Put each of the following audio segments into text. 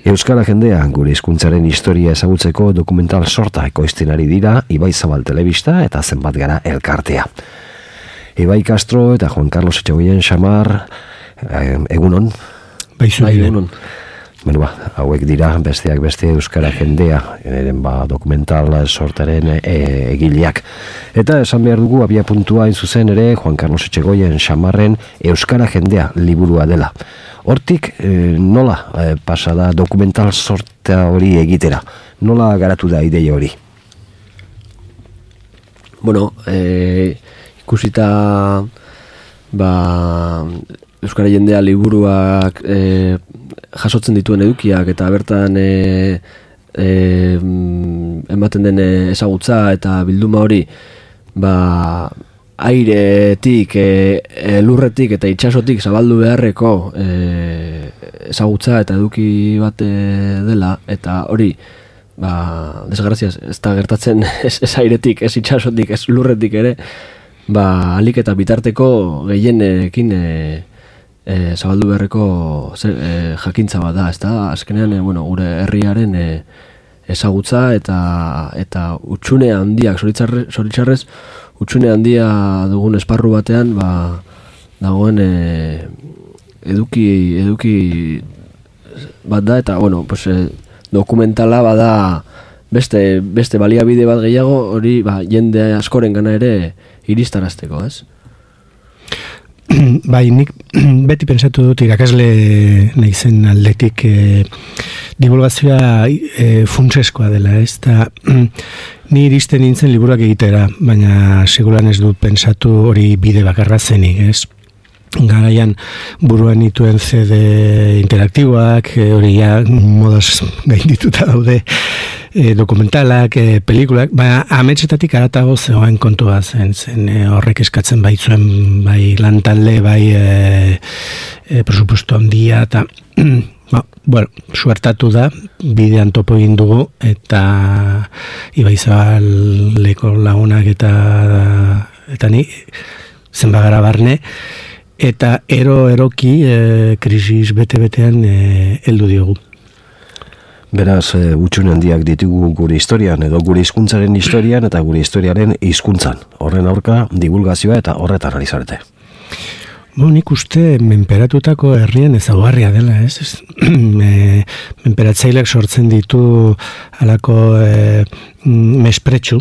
Euskara jendea gure hizkuntzaren historia ezagutzeko dokumental sorta ekoizten ari dira Ibai Zabal Telebista eta Zenbat Gara elkartea. Ibai Castro eta Juan Carlos Etxegoien Xamar, egunon? Bai, egunon. Hauek dira besteak beste Euskara jendea dokumental sortaren egileak. Eta esan behar dugu abia puntua zuzen ere Juan Carlos Etxegoien Xamarren Euskara jendea liburua dela. Hortik nola pasada dokumental sorta hori egitera? Nola garatu da ideia hori? Bueno, ikusita Euskara jendea liburuak jasotzen dituen edukiak eta bertan ematen den ezagutza eta bilduma hori airetik, lurretik eta itsasotik zabaldu beharreko ezagutza eta eduki bat dela, eta hori desgraziaz ez da gertatzen ez airetik, ez itsasotik, ez lurretik ere, alik eta bitarteko gehienekin zabaldu beharreko jakintza bat da, ez da, azkenean gure herriaren ezagutza eta utxune handiak, zoritxarrez, utxune handia dugun esparru batean dagoen eduki bat da, eta dokumentala bada beste baliabide bat gehiago hori jende askoren gana ere iristarazteko, ez? Bai, nik beti pentsatu dut irakasle naizen aldetik divulgazioa funtseskoa dela, ez? Ni iristen nintzen liburuak egitera, baina seguran ez dut pentsatu hori bide bakarra zenik, ez? Garaian buruan nituen CD interaktiboak, hori modaz gaindituta daude, dokumentalak, pelikulak, ametsetatik aratago zegoen kontua zen horrek eskatzen baitzuen bai lantalde, bai presupuesto handia, eta suertatu da, bidean topo egin dugu, eta Ibai Zabaleko lagunak eta ni, zenbagara barne, eta eroki krisis bete-betean heldu diogu. Beraz, utxune handiak ditugu gure historian, edo gure hizkuntzaren historian eta gure historiaren hizkuntzan. Horren aurka, divulgazioa eta horretan ari zarete. Nik uste menperatutako herrien ezaugarria dela, ez? Menperatzaileak sortzen ditu halako mespretxu.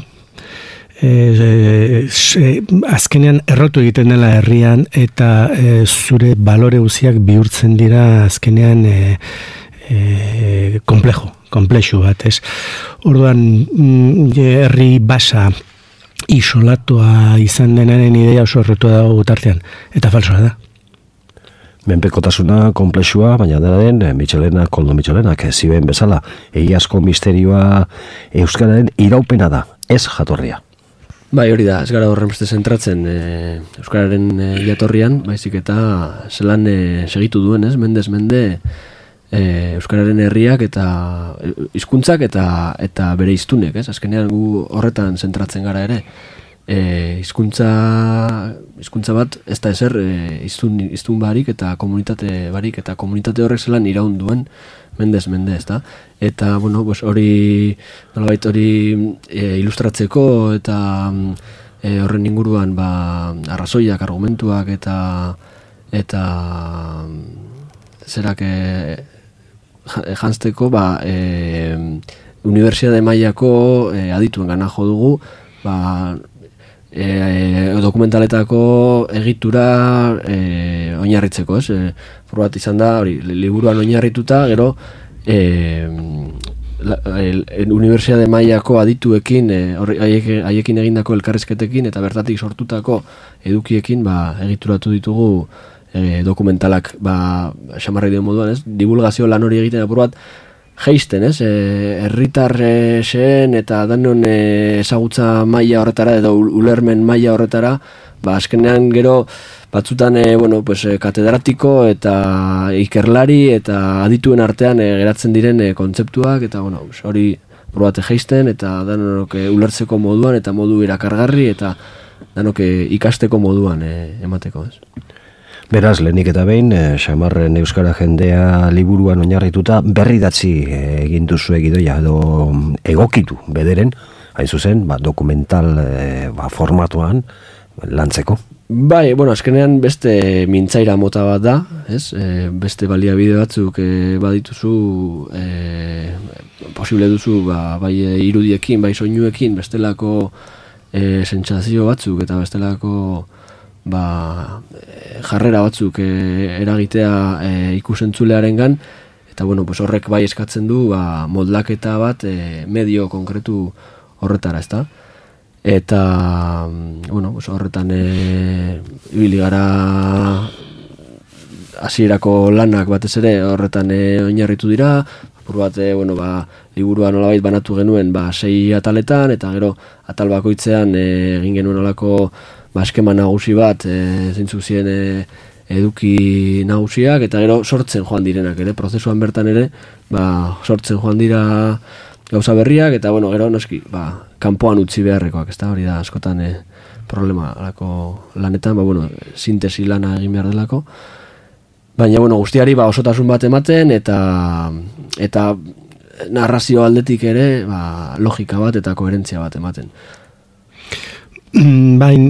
Azkenean errotu egiten dela herrian eta zure balore guziak bihurtzen dira azkenean komplexu bat, ez? Orduan, herri basa isolatua izan denaren idea oso errotu dago gutartean, eta falsoa da. Menpekotasuna komplexua, baina dela den Koldo Mitxelenak zioen bezala, egiazko misterioa Euskararen iraupena da, ez jatorria. Bai, hori da, ez gara horren beste zentratzen Euskararen jatorrian, baizik eta zelan segitu duen, ez? Mendez mende Euskararen herriak eta hizkuntzak eta bere hiztunek, ez? Azkenean gu horretan zentratzen gara ere. Hizkuntza bat ez da ezer hiztun barik eta komunitate barik, eta komunitate horrek zelan iraun duen mendez mende, ez da? Eta, hori nolabait hori ilustratzeko eta horren inguruan arrazoiak, argumentuak eta zerak janzteko unibertsitate mailako adituen gana jo dugu dokumentaletako egitura oinarritzeko, ez? Bat izan da, hori, liburuan oinarrituta, gero unibertsitate mailako adituekin, haiekin egindako elkarrizketekin eta bertatik sortutako edukiekin egituratu ditugu dokumentalak, xamarra den moduan, ez? Divulgazio lan hori egiten apur bat geisten, ez? Herritarren eta danon ezagutza maila horretara edo ulermen maila horretara, azkenean gero batzutan katedratiko eta ikerlari eta adituen artean geratzen diren kontzeptuak, eta hori apur bat geisten eta danok ulertzeko moduan eta modu irakargarri eta danok ikasteko moduan emateko, ez? Beraz, lehenik eta behin, Xamarren Euskara Jendea liburuan oinarrituta berridatzi egin duzu egidoia edo egokitu bederen, hain zuzen, dokumental formatuan lantzeko. Bai, bueno, azkenean beste mintzaira mota bat da, ez? Beste baliabide batzuk badituzu, posible duzu, bai irudiekin, bai soinuekin, bestelako sentsazio batzuk eta bestelako jarrera batzuk eragitea ikusentzulearengan, eta bueno, pues horrek bai eskatzen du moldaketa bat medio konkretu horretara, ezta? Eta bueno, pues horretan ibili gara hasierako lanak batez ere horretan oinarritu dira, apur bat liburua nolabait banatu genuen 6 ataletan, eta gero atal bakoitzean egin genuen olako eskema nagusi bat, zeintzuk ziren eduki nagusiak, eta gero sortzen joan direnak ere, prozesuan bertan ere, sortzen joan dira gauza berriak, eta bueno, gero noski, kanpoan utzi beharrekoak, ezta, hori da askotan problema alako lanetan, sintesi lana egin behar delako, baina guztiari osotasun bat ematen, eta narrazio aldetik ere logika bat eta koherentzia bat ematen. Bain,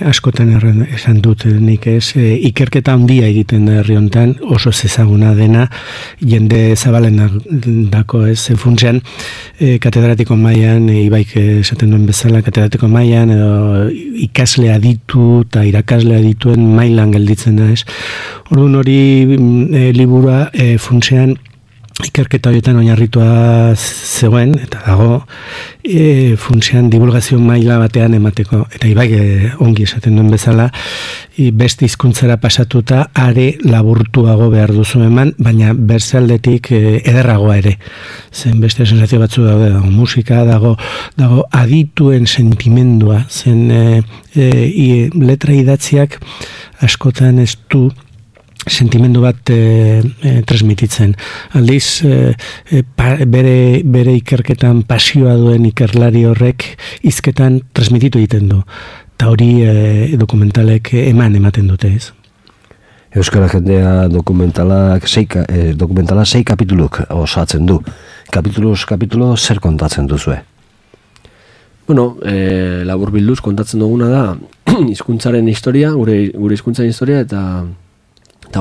askotan esan dut nik ikerketa handia egiten da herri honetan, oso ezaguna dena, jende zabalen dako funtsean, katedratiko mailan, Ibaik esaten duen bezala, katedratiko mailan, edo ikasle aditu eta irakasle adituen mailan gelditzen da, Orduan hori liburua funtsean, ikerketa horietan oinarritua zegoen, eta dago funtsean divulgazio maila batean emateko, eta Ibai ongi esaten duen bezala, beste hizkuntzara pasatuta are laburtuago behar duzu eman, baina bersaldetik ederragoa ere. Zen beste sensazio batzu dago musika, dago adituen sentimendua, zen letra idatziak askotan ez du sentimendu bat transmititzen. Aldiz, bere ikerketan pasioa duen ikerlari horrek hizketan transmititu egiten du. Eta hori dokumentalek ematen dute, ez? Euskara Jendea dokumentala 6 kapituluk osatzen du. Kapitulo zer kontatzen duzue? Bueno, labur bilduz kontatzen duguna da hizkuntzaren historia, gure hizkuntzaren historia, eta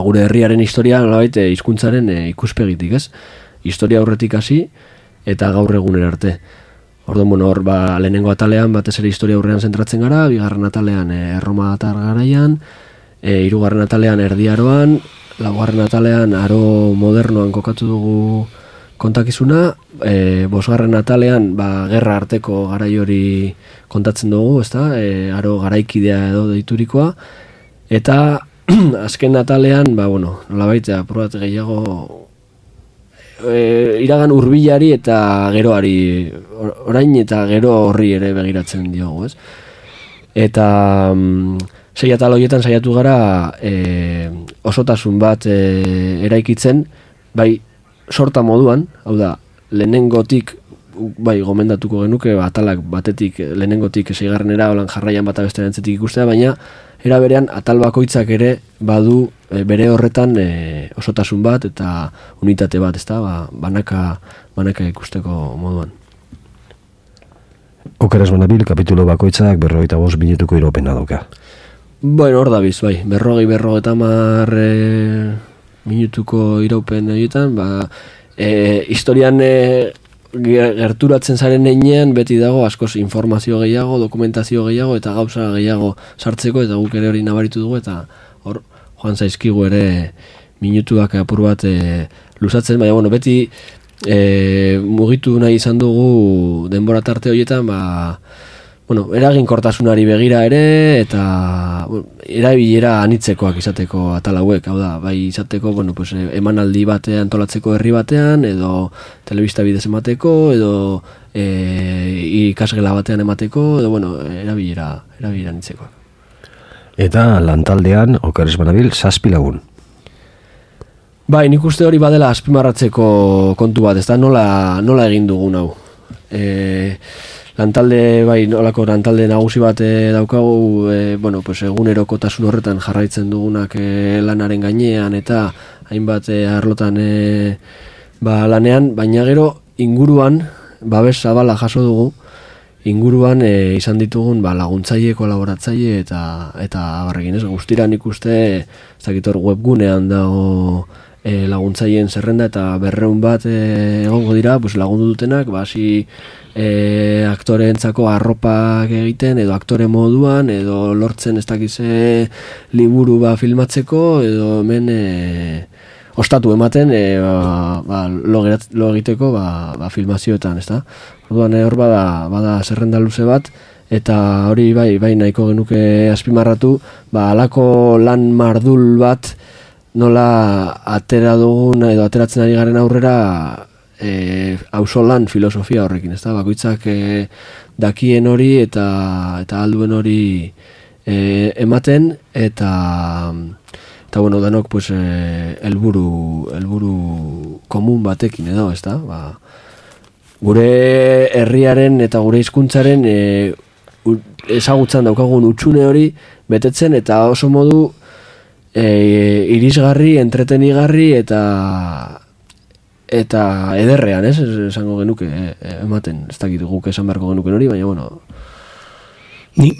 gure herriaren historia nolabait hizkuntzaren ikuspegitik, ez? Historia aurretik hasi eta gaur egunera arte. Orduan, hor lehenengo atalean batez ere historia aurrean zentratzen gara, bigarren atalean Erromatar garaian, hirugarren atalean Erdi Aroan, laugarren atalean aro modernoan kokatu dugu kontakizuna, bosgarren atalean gerra arteko garai hori kontatzen dugu, ezta? Aro garaikidea edo deiturikoa, eta azken atalean, nolabait aprobat gehiago iragan hurbilari eta geroari, orain eta gero horri ere begiratzen diogu, ez? Eta 6 atal horietan saiatu gara osotasun bat eraikitzen, bai sorta moduan, hau da, lehenengotik gomendatuko genuke, atalak batetik lehenengotik 6garrenera olan jarraian bata beste erantzetik ikustea, baina era berean atal bakoitzak ere badu bere horretan osotasun bat eta unitate bat, ezta? Banaka ikusteko moduan. Okeraz banabil, kapitulo bakoitzak 45 minutuko iropena dauka. Bueno, hor dabiz, 50 minutuko iraupen horietan, historian gerturatzen zaren heinean beti dago askoz informazio gehiago, dokumentazio gehiago eta gauza gehiago sartzeko, eta guk ere hori nabaritu dugu, eta hor joan zaizkigu ere minutuak apur bat luzatzen, baina beti mugitu nahi izan dugu denbora tarte horietan, eraginkortasunari begira ere, eta erabilera anitzekoak izateko atal hauek, hau da, bai izateko, emanaldi batean antolatzeko herri batean, edo telebista bidez emateko, edo ikasgela batean emateko, edo, erabilera anitzekoak. Eta lantaldean, okeres banabil, 7 lagun. Bai, nik uste hori badela azpimarratzeko kontu bat, ez da nola egin dugun hau. lantalde, bai, nolako lantalde nagusi bat daukagu, bueno, pues egunerokotasun horretan jarraitzen dugunak lanaren gainean eta hainbat arlotan lanean, baina gero inguruan, babes zabala jaso dugu, inguruan izan ditugun laguntzaile, kolaboratzaile eta barrekin ez, guztira nik uste, ez dakit hor webgunean dago laguntzaileen zerrenda eta 200 bat egongo dira, pues lagundu dutenak, hasi aktoreentzako arropak egiten, edo aktore moduan, edo lortzen ez dakize liburu filmatzeko, edo hemen ostatu ematen lo egiteko filmazioetan, ezta? Orduan hor bada zerrenda luze bat, eta hori bai nahiko genuke azpimarratu, halako lan mardul bat nola atera dugun edo ateratzen ari garen aurrera auzolan filosofia horrekin, ezta? Bakoitzak dakien hori eta alduen hori ematen eta bueno, danok pues helburu komun batekin edo, ezta? Gure herriaren eta gure hizkuntzaren ezagutzan daukagun hutsune hori betetzen eta oso modu irisgarri, entretenigarri eta ederrean, ez? Esango genuke ematen, ez dakit guk esan beharko genuken hori, baina bueno. Ni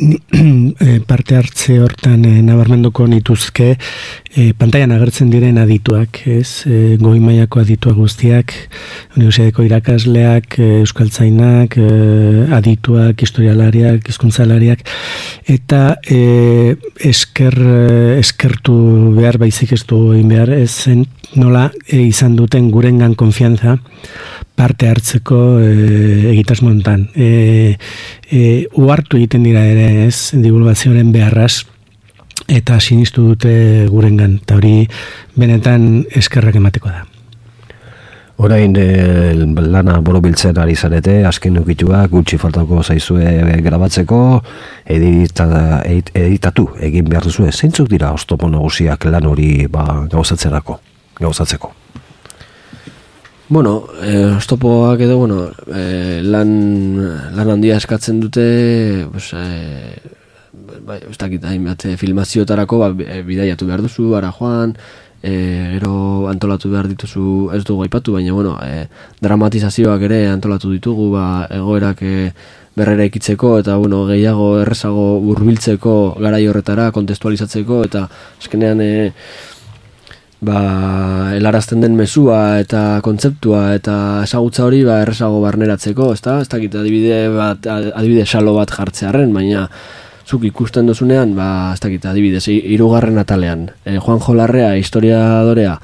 parte hartze hortan nabarmenduko nituzke pantailan agertzen diren adituak, ez? Goi mailako adituak guztiak, unibertsitateko irakasleak, euskaltzainak, adituak, historialariak, hizkuntzalariak eta eskertu behar baizik ez du egin behar, ez zen nola izan duten gurengan konfiantza parte hartzeko egitasmo hontan. Uhartu egiten dira ere, ez, divulgazioaren beharraz eta sinistu dute gurengan, eta hori benetan eskerrak emateko da. Orain lana borobiltzen ari zarete, azken ukituak gutxi faltako zaizue grabatzeko, editatu egin behar duzue. Zeintzuk dira oztopo nagusiak lan hori gauzatzeko? Bueno, oztopoak edo, bueno, lan handia eskatzen dute, pues, ez dakit, filmazioetarako bidaiatu behar duzu, ara joan, gero antolatu behar dituzu, ez dugu aipatu, baina, bueno, dramatizazioak ere antolatu ditugu, egoerak berrera ikitzeko, eta, bueno, gehiago errezago hurbiltzeko garai horretara, kontestualizatzeko, eta azkenean helarazten den mezua eta kontzeptua eta ezagutza hori errezago barneratzeko, ez dakit adibide salo bat jartzearren, baina zuk ikusten dozunean, ez dakit adibidez, 3. atalean, Juanjo Larrea, historiadorea,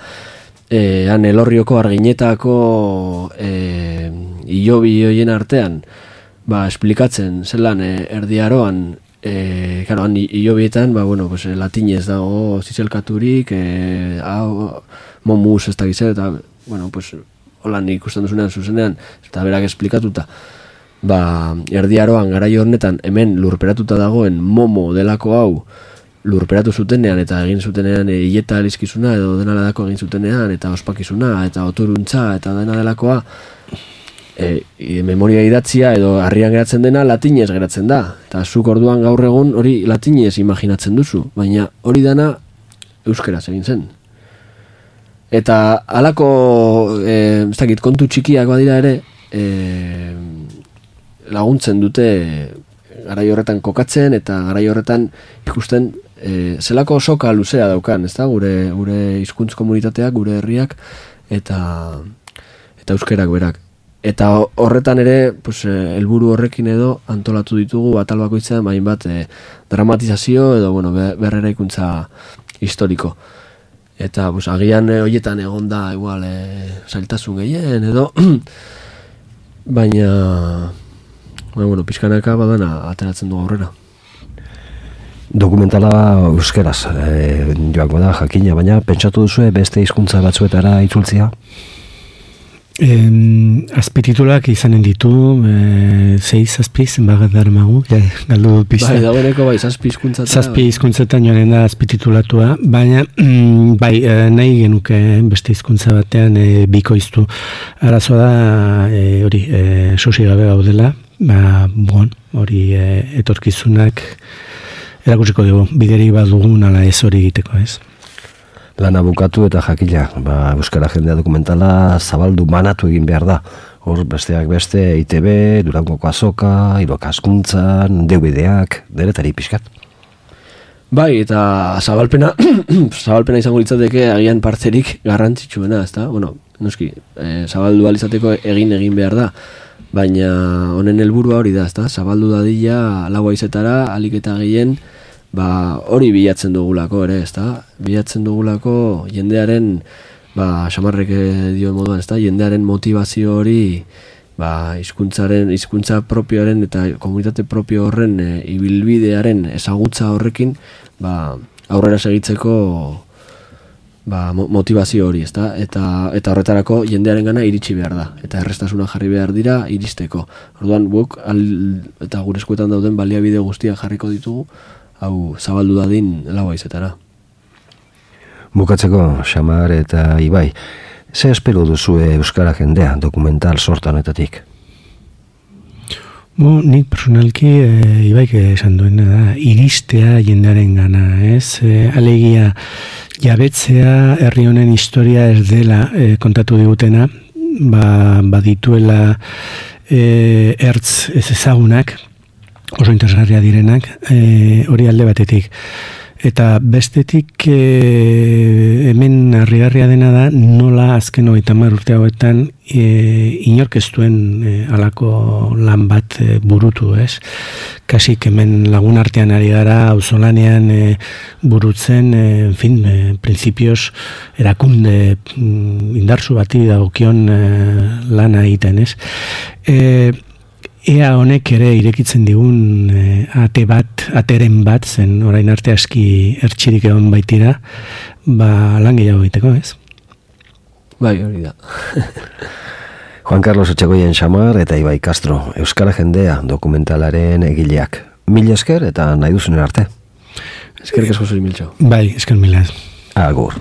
han Elorrioko Arginetako hilobi hoien artean, esplikatzen zelan Erdi Aroan, han hilobietan, bueno, pues, latinez dago zizelkaturik, momus ez da gizet, eta, bueno, pues, holan ikusten duzunean zuzenean, eta berak esplikatuta, Erdi Aroan garaio honetan hemen lurperatuta dagoen momo delako hau lurperatu zutenean eta egin zutenean hileta elizkizuna edo dena dako egin zutenean eta ospakizuna eta otoruntza eta dena delakoa memoria idatzia edo harrian geratzen dena latinez geratzen da. Eta zuk orduan gaur egun hori latinez imaginatzen duzu, baina hori dana euskeraz egin zen. Eta halako ez dakit, kontu txikiak badira ere laguntzen dute garai horretan kokatzen eta garai horretan ikusten zelako soka luzea daukan, ezta? Gure hizkuntz komunitateak, gure herriak eta euskerak berak. Eta horretan ere, pues, helburu horrekin edo antolatu ditugu atal bakoitzean hainbat dramatizazio edo bueno, berreraikuntza historiko. Eta pues, agian horietan egon da igual zailtasun gehien edo baina bueno, pizkanaka badana ateratzen du aurrera. Dokumentala euskeraz joango da jakina, baina pentsatu duzu beste hizkuntza batzuetara itzultzea? Azpititulak izanen ditu 6-7 zenbagat darmagu galdu pista. Dagoeneko zazpi hizkuntzetan joanen da azpititulatua, baina nahi genuke beste hizkuntza batean bikoiztu. Arazoa da hori sosigabe gaudela hori etorkizunak erakutsiko dugu, bideri bat dugun ala ez hori egiteko, ez? Lana bukatu eta jakila, Euskara Jendea dokumentala zabaldu banatu egin behar da. Hor besteak beste, ITB, Durangoko Azoka, Iroka Askuntzan, DVD-ak, deretari pixkat. Bai, eta zabalpena izango litzateke agian partzerik garrantzitsuena, ezta? Bueno, noski, zabaldu alizateko egin behar da, baina honen helburua hori da, ezta? Zabaldu dadila lau haizetara, alik eta gehien, hori bilatzen dugulako ere, ezta? Bilatzen dugulako jendearen, Xamarrek dio moduan, ezta? Jendearen motivazio hori, hizkuntza propioaren eta komunitate propio horren ibilbidearen ezagutza horrekin, aurrera segitzeko motivazio hori, ezta? Eta horretarako jendearengana iritsi behar da, eta errestasuna jarri behar dira iristeko. Orduan guk eta gure eskuetan dauden baliabide guztiak jarriko ditugu, hau zabaldu dadin lau haizetara. Bukatzeko, Xamar eta Ibai, ze espero duzue Euskara Jendea dokumental sorta honetatik? Nik personalki Ibaik esan duena da, iristea jendearen gana, ez? Alegia jabetzea herri honen historia ez dela kontatu digutena, badituela ertz ez ezagunak, oso interesgarria direnak, hori alde batetik. Eta bestetik hemen harrigarria dena da nola azken 30 urte hauetan inork ez duen halako lan bat burutu, ez? Kasik hemen lagun artean ari gara auzolanean burutzen, printzipioz erakunde indartsu bati dagokion lana egiten, ez? Ea honek ere irekitzen digun ateren bat, zen orain arte aski ertxirik egon baitira, lan gehiago egiteko, ez? Bai, hori da. Juan Carlos Etxegoien Xamar eta Ibai Castro, Euskara Jendea dokumentalaren egileak. Mil esker eta nahi duzunen arte. Eskerrik asko zuri miltxo. Bai, esker mila. Agur.